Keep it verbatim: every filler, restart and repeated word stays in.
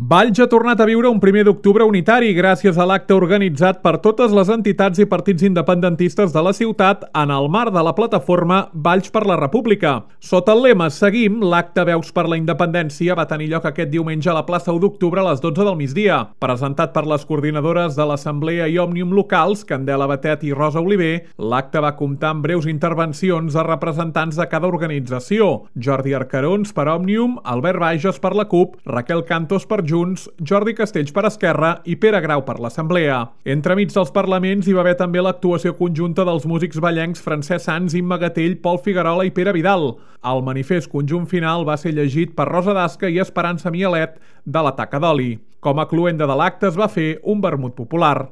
Valls ha tornat a viure un primer d'octubre unitari gràcies a l'acte organitzat per totes les entitats i partits independentistes de la ciutat en el marc de la plataforma Valls per la República. Sota el lema Seguim, l'acte Veus per la Independència va tenir lloc aquest diumenge a la plaça u d'octubre a les dotze del migdia. Presentat per les coordinadores de l'Assemblea i Òmnium locals, Candela Batet i Rosa Oliver, l'acte va comptar amb breus intervencions a representants de cada organització. Jordi Arcarons per Òmnium, Albert Bages per la CUP, Raquel Cantos per Junts, Jordi Castells per Esquerra i Pere Grau per l'Assemblea. Entremig dels parlaments hi va haver també l'actuació conjunta dels músics ballencs Francesc Sans, Imma Gatell, Pol Figuerola i Pere Vidal. El manifest conjunt final va ser llegit per Rosa Dasca i Esperança Mialet de la Taca d'Oli. Com a cloenda de l'acte es va fer un vermut popular.